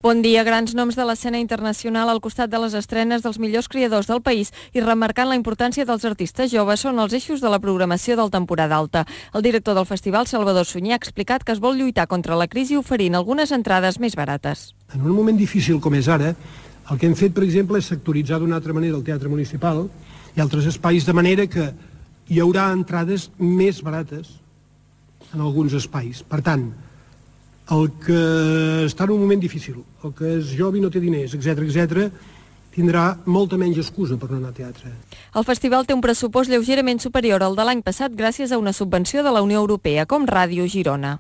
Bon dia, grans noms de l'escena internacional al costat de les estrenes dels millors creadors del país i remarcant la importància dels artistes joves són els eixos de la programació del temporada alta. El director del festival, Salvador Sunyer, ha explicat que es vol lluitar contra la crisi oferint algunes entrades més barates. En un moment difícil com és ara, el que hem fet, per exemple, és sectoritzar d'una altra manera el teatre municipal i altres espais, de manera que hi haurà entrades més barates en alguns espais. Per tant, el que està en un moment difícil, el que és jove i no té diners, etc., tindrà molta menys excusa per no anar a teatre. El festival té un pressupost lleugerament superior al de l'any passat gràcies a una subvenció de la Unió Europea, com Ràdio Girona.